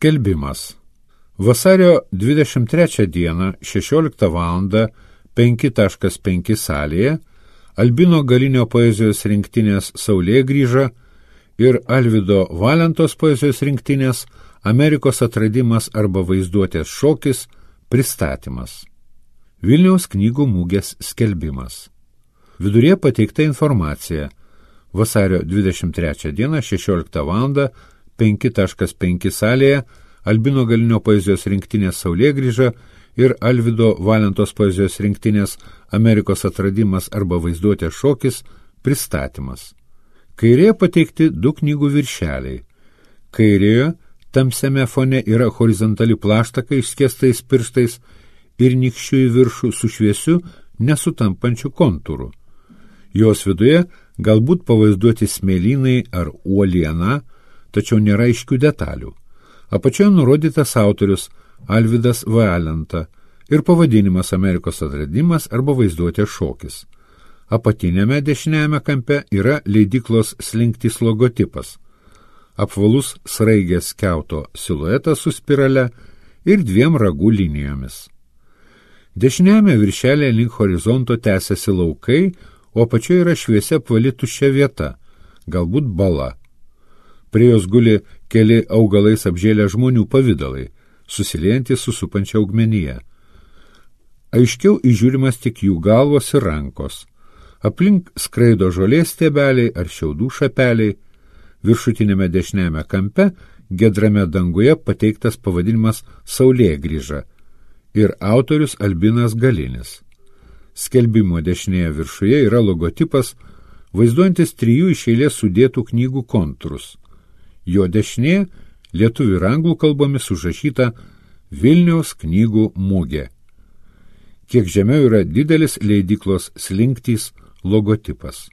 Skelbimas. Vasario 23 dieną 16 val. 5.5 salėje Albino Galinio poezijos rinktinės Saulėgrįža ir Alvydo Valentos poezijos rinktinės Amerikos atradimas arba vaizduotės šokis pristatymas. Vilniaus knygų mugės skelbimas. Viduryje pateikta informacija. Vasario 23 dieną 16 val. 5.5 salėje Albino Galinio poezijos rinktinės Saulėgrįža ir Alvydo Valentos poezijos rinktinės Amerikos atradimas arba vaizduotės šokis pristatymas. Kairėje pateikti 2 knygų viršeliai. Kairėje tamsiame fone yra horizontali plaštaka išskėstais pirštais ir nykščiu į viršų su šviesiu nesutampančiu kontūru. Jos viduje galbūt pavaizduoti smėlynai ar uoliena, tačiau nėra aiškių detalių. Apačioje nurodytas autorius Alvydas Valenta ir pavadinimas Amerikos atradimas arba vaizduotės šokis. Apatinėme dešiniajame kampe yra leidyklos Slinktys logotipas. Apvalus sraigės skiauto siluetas su spirale ir 2 ragų linijomis. Dešiniajame viršelėje link horizonto tęsiasi laukai, o apačioje yra šviesia apvali tuščia vieta, galbūt bala. Prie jos guli keli augalais apžėlę žmonių pavidalai, susiliejantys su supančia augmenija. Aiškiau įžiūrimas tik jų galvos ir rankos. Aplink skraido žolės stiebeliai ar šiaudų šapeliai. Viršutinėme dešiniajame kampe, gedrame danguje pateiktas pavadinimas Saulėgrįža ir autorius Albinas Galinis. Skelbimo dešinėje viršuje yra logotipas, vaizduojantis 3 iš eilės sudėtų knygų kontūrus. Jo dešinėje lietuvių ir anglų kalbomis užrašyta Vilniaus knygų mugė. Kiek žemiau yra didelis leidyklos Slinktys logotipas.